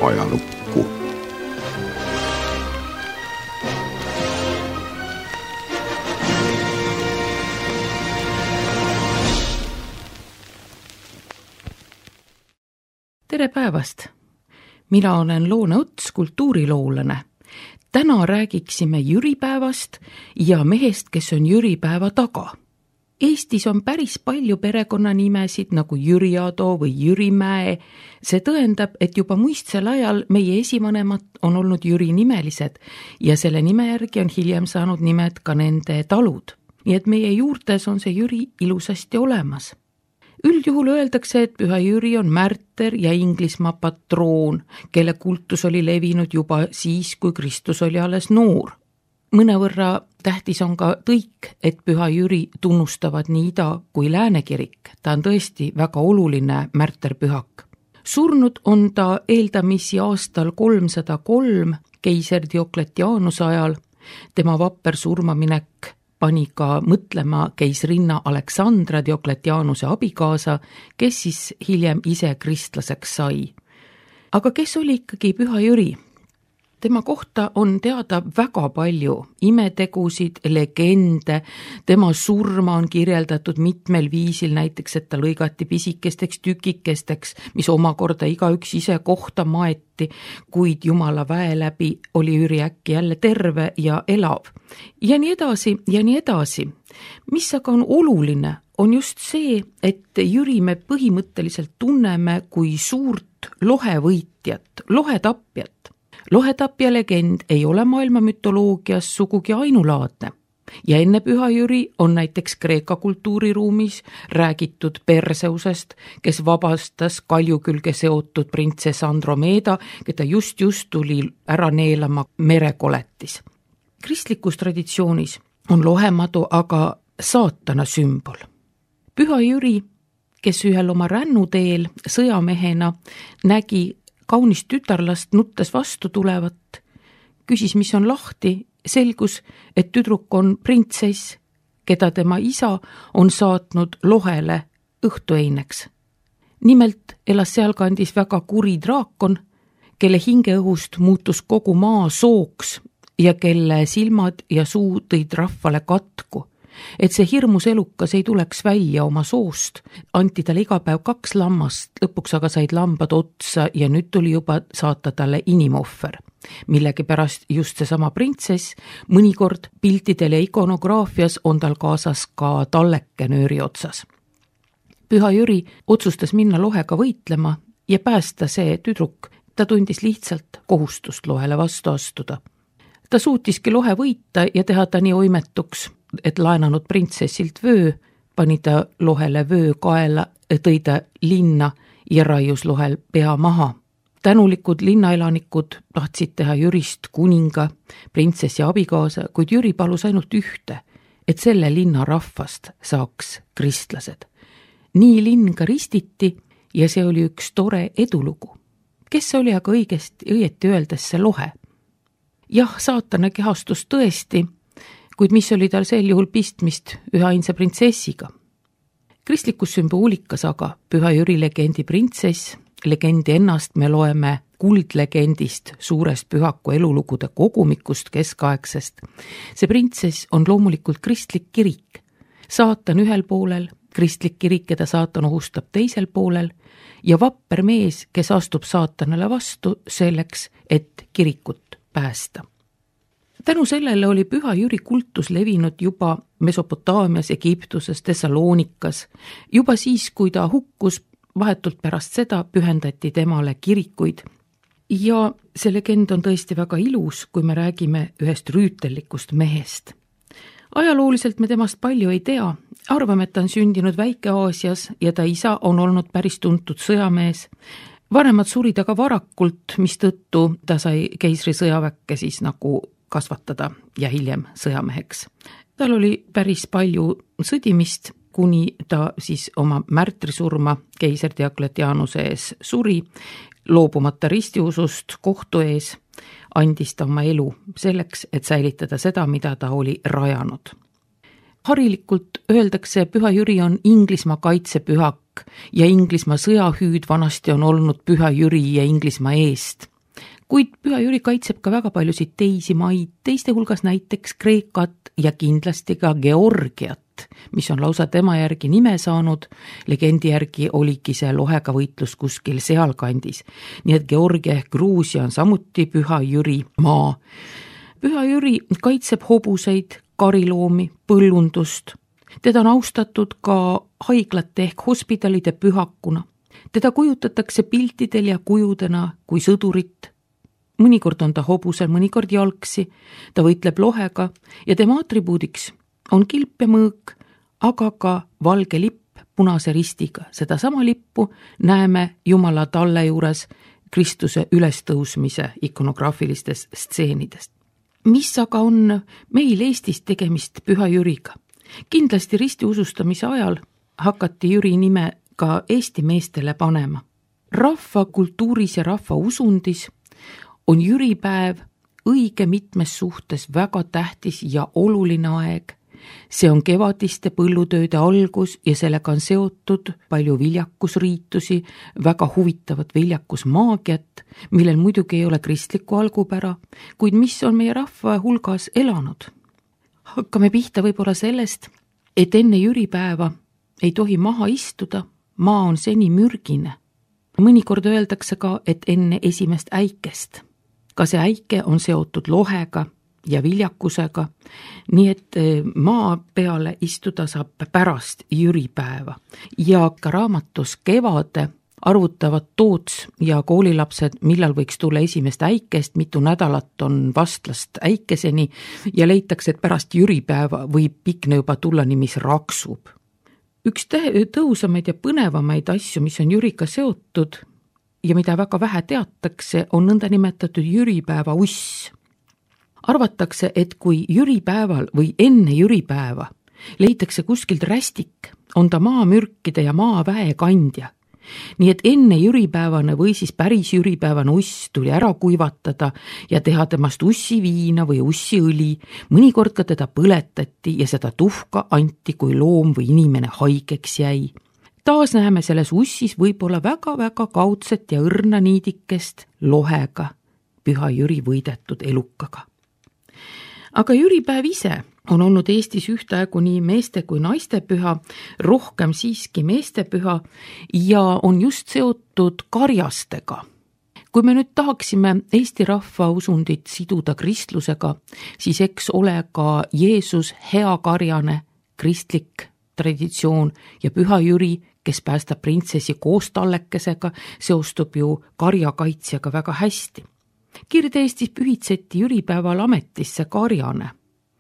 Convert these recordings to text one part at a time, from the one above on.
ajalukku. Tere päevast! Mina olen Loone Ots, kultuuriloolane. Täna räägiksime jüripäevast ja mehest, kes on jüripäeva taga. Eestis on päris palju perekonnanimesid nagu Jüri Ado või Jürimäe. See tõendab, et juba muistsel ajal meie esivanemad on olnud Jüri nimelised ja selle nime järgi on hiljem saanud nimed ka nende talud. Nii et meie juurtes on see Jüri ilusasti olemas. Üldjuhul öeldakse, et Püha Jüri on märter ja Inglismaa patroon, kelle kultus oli levinud juba siis, kui Kristus oli alles noor. Mõnevõrra tähtis on ka tõik, et Püha Jüri tunnustavad nii ida kui lääne kirik. Ta on tõesti väga oluline märterpühak. Surnud on ta eeldamisi aastal 303 keiser Diokletianuse ajal. Tema vapper surmaminek pani ka mõtlema keisrinna Aleksandra Diokletianuse abikaasa, kes siis hiljem ise kristlaseks sai. Aga kes oli ikkagi Püha Jüri? Tema kohta on teada väga palju imetegusid, legende, tema surma on kirjeldatud mitmel viisil, näiteks et ta lõigati pisikesteks tükikesteks, mis omakorda igaüks ise kohta maeti, kuid Jumala väe läbi oli Jüri äkki jälle terve ja elav. Ja nii edasi ja nii edasi. Mis aga on oluline, on just see, et Jüri me põhimõtteliselt tunneme kui suurt lohevõitjat, lohetapjat. Lohetapja legend ei ole maailma mütoloogias sugugi ainulaadne ja enne Püha Jüri on näiteks Kreeka kultuuriruumis räägitud Perseusest, kes vabastas kalju külge seotud printsess Andromeda, keda just tuli ära neelama merekoletis. Kristlikus traditsioonis on lohemadu aga saatana sümbol. Püha Jüri, kes ühel oma rännuteel sõjamehena nägi kaunist tütarlast nuttes vastu tulevat, küsis, mis on lahti, selgus, et tüdruk on printsess, keda tema isa on saatnud lohele õhtueineks. Nimelt elas sealkandis väga kuri draakon, kelle hingeõhust muutus kogu maa sooks ja kelle silmad ja suu tõid rahvale katku. Et see hirmus elukas ei tuleks välja oma soost, anti talle iga päev 2 lammast, lõpuks aga said lambad otsa ja nüüd tuli juba saata talle inimohver. Millegi pärast just seesama printsess, mõnikord piltidel ja ikonograafias on tal kaasas ka talleke nööri otsas. Püha Jüri otsustas minna lohega võitlema ja päästa see tüdruk, ta tundis lihtsalt kohustust lohele vastu astuda. Ta suutiski lohe võita ja teha ta nii oimetuks, et laenanud printsessilt vöö, pani ta lohele vöö kaela, tõi ta linna ja raius lohel pea maha. Tänulikud linnaelanikud tahtsid teha Jürist kuninga, printsessi abikaasa, kuid Jüri palus ainult ühte, et selle linna rahvast saaks kristlased. Nii linn ka ristiti ja see oli üks tore edulugu. Kes oli aga õieti öeldes see lohe? Jah, saatana kehastus tõesti, kuid mis oli tal sel juhul pistmist üheainsa printsessiga. Kristlikus sümboolikas aga Püha Jüri legendi printsess, legendi ennast me loeme kuldlegendist, suurest pühaku elulugude kogumikust keskaegsest. See printsess on loomulikult kristlik kirik. Saatan ühel poolel, kristlik kirik, keda saatan ohustab teisel poolel ja vapper mees, kes astub saatanale vastu selleks, et kirikut päästa. Tänu sellele oli Püha Jüri kultus levinud juba Mesopotaamias, Egiptuses, Thessaloonikas. Juba siis, kui ta hukkus, vahetult pärast seda pühendati temale kirikuid. Ja see legend on tõesti väga ilus, kui me räägime ühest rüütellikust mehest. Ajalooliselt me temast palju ei tea. Arvame, et ta on sündinud Väike-Aasias ja ta isa on olnud päris tuntud sõjamees. Vanemad surid aga varakult, mistõttu ta sai keisri sõjaväkke siis nagu kasvatada ja hiljem sõjameheks. Tal oli päris palju sõdimist, kuni ta siis oma märtrisurma keiser Diokletianuse ees suri, loobumata ristiusust kohtu ees, andis ta oma elu selleks, et säilitada seda, mida ta oli rajanud. Harilikult öeldakse, Püha Jüri on Inglismaa kaitsepühak ja Inglismaa sõjahüüd vanasti on olnud Püha Jüri ja Inglismaa eest. Kuid Püha Jüri kaitseb ka väga paljusid teisi maid, teiste hulgas näiteks Kreekat ja kindlasti ka Georgiat, mis on lausa tema järgi nime saanud. Legendi järgi oligi see lohega võitlus kuskil sealkandis. Nii et Georgia ehk Gruusia on samuti Püha Jüri maa. Püha Jüri kaitseb hobuseid, kariloomi, põllundust. Teda on austatud ka haiglate ehk hospidalide pühakuna. Teda kujutatakse piltidel ja kujudena kui sõdurit. Mõnikord on ta hobusel, mõnikord jalgsi, ta võitleb lohega ja tema atribuudiks on kilp ja mõõk, aga ka valge lipp punase ristiga. Seda sama lippu näeme Jumala talle juures Kristuse ülestõusmise ikonograafilistes stseenides. Mis aga on meil Eestis tegemist Püha Jüriga? Kindlasti ristiusustamise ajal hakati Jüri nime ka Eesti meestele panema. Rahva kultuuris ja rahva usundis on jüripäev õige mitmes suhtes väga tähtis ja oluline aeg. See on kevadiste põllutööde algus ja sellega on seotud palju viljakusriitusi, väga huvitavat viljakusmaagiat, millel muidugi ei ole kristlikku algupära, kuid mis on meie rahva hulgas elanud. Hakkame pihta võib-olla sellest, et enne jüripäeva ei tohi maha istuda, maa on seni mürgine. Mõnikord öeldakse ka, et enne esimest äikest. Ka see äike on seotud lohega ja viljakusega, nii et maa peale istuda saab pärast jüripäeva. Ja ka raamatus Kevade arvutavad Toots ja koolilapsed, millal võiks tulla esimest äikest, mitu nädalat on vastlast äikeseni ja leitakse, et pärast jüripäeva võib pikne juba tulla nii, mis raksub. Üks tõusamaid ja põnevamaid asju, mis on jüriga seotud ja mida väga vähe teatakse, on nõndanimetatud jüripäeva uss. Arvatakse, et kui jüripäeval või enne jüripäeva leitakse kuskilt rästik, on ta maamürkide ja maaväe kandja. Nii et enne jüripäevane või siis päris jüripäevane uss tuli ära kuivatada ja teha temast ussiviina või ussiõli. Mõnikord ka teda põletati ja seda tuhka anti, kui loom või inimene haigeks jäi. Taas näeme selles ussis võib-olla väga-väga kaudset ja õrna niidikest lohega, Püha Jüri võidetud elukaga. Aga jüripäev ise on olnud Eestis ühtaegu nii meeste kui naiste püha, rohkem siiski meeste püha ja on just seotud karjastega. Kui me nüüd tahaksime Eesti rahva usundit siduda kristlusega, siis eks ole ka Jeesus hea karjane, kristlik traditsioon ja Püha Jüri, kes päästab printsessi koos tallekesega, seostub ju karjakaitsjaga väga hästi. Kirde-Eestis pühitseti jüripäeval ametisse karjane.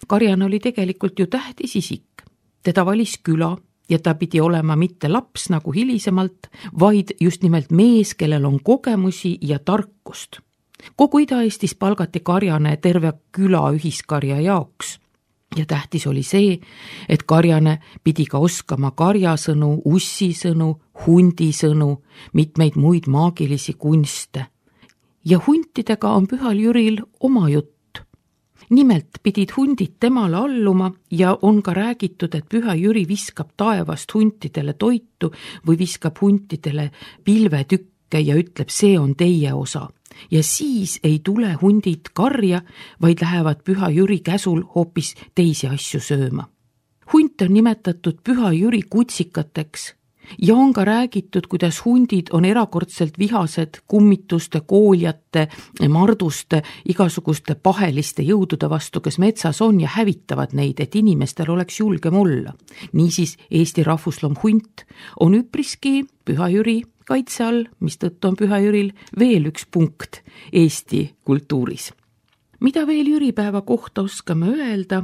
Karjane oli tegelikult ju tähtis isik. Teda valis küla ja ta pidi olema mitte laps nagu hilisemalt, vaid just nimelt mees, kellel on kogemusi ja tarkust. Kogu Ida-Eestis palgati karjane terve küla ühiskarja jaoks. Ja tähtis oli see, et karjane pidi ka oskama karjasõnu, ussisõnu, hundisõnu, mitmeid muid maagilisi kunste. Ja huntidega on Pühal Jüril oma jutt. Nimelt pidid hundid temale alluma ja on ka räägitud, et Püha Jüri viskab taevast huntidele toitu või viskab huntidele pilvetükke ja ütleb, see on teie osa. Ja siis ei tule hundid karja, vaid lähevad Püha Jüri käsul hoopis teisi asju sööma. Hunt on nimetatud Püha Jüri kutsikateks ja on ka räägitud, kuidas hundid on erakordselt vihased kummituste, kooljate, marduste, igasuguste paheliste jõudude vastu, kes metsas on ja hävitavad neid, et inimestel oleks julgem olla. Niisiis Eesti rahvusloom hunt on üpriski Püha Jüri kaitse all, mistõttu on Püha Jüril veel üks punkt Eesti kultuuris. Mida veel jüripäeva kohta oskame öelda?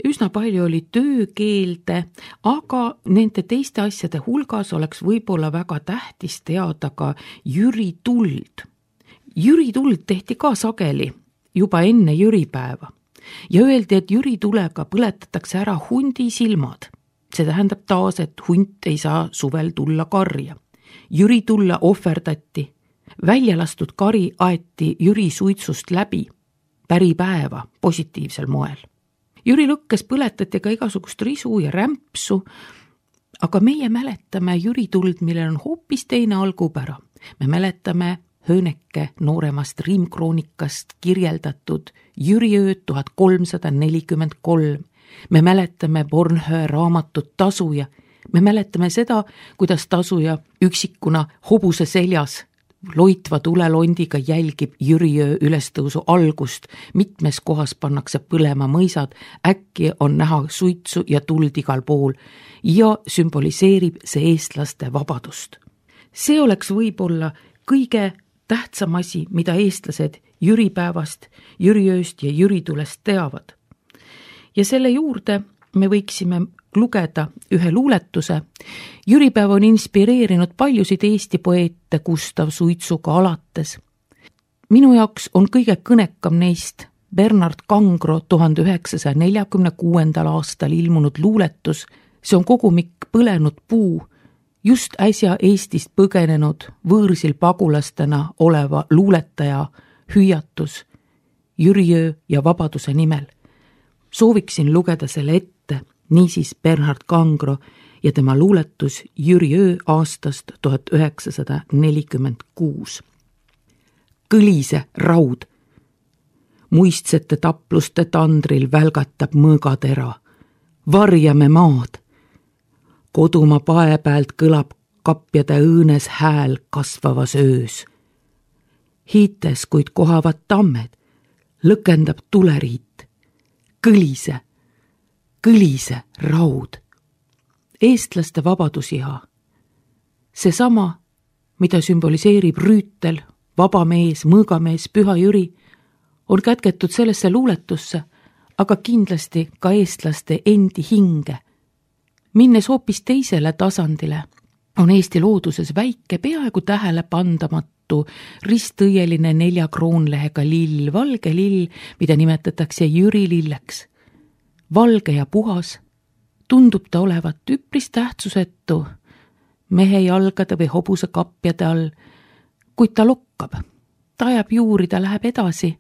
Üsna palju oli töökeelde, aga nende teiste asjade hulgas oleks võib-olla väga tähtis teada ka jürituld. Jürituld tehti ka sageli juba enne jüripäeva ja öeldi, et jüritulega põletatakse ära hundi silmad. See tähendab taas, et hunt ei saa suvel tulla karja. Jüritulle ohverdati. Välja lastud kari aeti Jüri suitsust läbi. Päripäeva positiivsel moel. Jüri lõkkes põletati ka igasugust risu ja rämpsu, aga meie mäletame jürituld, millel on hoopis teine algupära. Me mäletame Hööneke nooremast riimkroonikast kirjeldatud Jüriööd 1343. Me mäletame Bornhöhe raamatut Tasuja. Me mäletame seda, kuidas tasuja üksikuna hobuse seljas loitva tulelondiga jälgib Jüriöö ülestõusu algust. Mitmes kohas pannakse põlema mõisad, äkki on näha suitsu ja tuld igal pool ja sümboliseerib see eestlaste vabadust. See oleks võib-olla kõige tähtsam asi, mida eestlased jüripäevast, Jüriööst ja jüritulest teavad. Ja selle juurde me võiksime lugeda ühe luuletuse. Jüripäev on inspireerinud paljusid Eesti poeete Gustav Suitsuga alates. Minu jaoks on kõige kõnekam neist Bernard Kangro 1946. aastal ilmunud luuletus. See on kogumik Põlenud puu, just äsja Eestist põgenenud võõrsil pagulastena oleva luuletaja hüüatus Jüriöö ja vabaduse nimel. Sooviksin lugeda selle ette, niisiis Bernard Kangro ja tema luuletus Jüriöö aastast 1946. Kõlise raud. Muistsete tapluste tandril välgatab mõõgatera. Varjame maad. Kodumaa pae pealt kõlab kapjade õõnes hääl kasvavas öös. Hiites, kuid kohavad tammed, lõkendab tuleriit. Kõlise raud. Eestlaste vabadusiha. Seesama, mida sümboliseerib rüütel, vabamees, mõõgamees, Püha Jüri, on kätketud sellesse luuletusse, aga kindlasti ka eestlaste endi hinge. Minnes hoopis teisele tasandile, on Eesti looduses väike, peaaegu tähele pandamatu, ristõieline 4 kroonlehega lill, valge lill, mida nimetatakse Jüri lilleks. Valge ja puhas, tundub ta olevat üpris tähtsusetu mehe jalgade või hobuse kapjade all, kuid ta lokkab, ta ajab juuri, ta läheb edasi.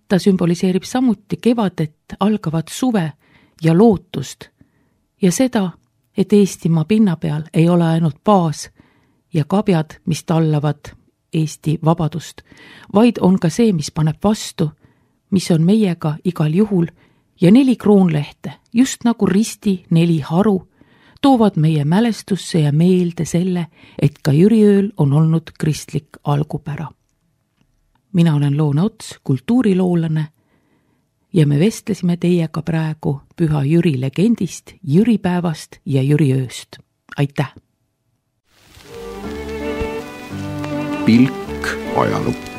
Ta sümboliseerib samuti kevadet, algavat suve ja lootust ja seda, et Eestimaa pinna peal ei ole ainult baas ja kabjad, mis tallavad Eesti vabadust, vaid on ka see, mis paneb vastu, mis on meiega igal juhul ja 4 kroonlehte, just nagu risti 4 haru, toovad meie mälestusse ja meelde selle, et ka Jüriööl on olnud kristlik algupära. Mina olen Loone Ots, kultuuriloolane ja me vestlesime teiega praegu Püha Jüri legendist, jüripäevast ja Jüriööst. Aitäh! Pilk ajalukku.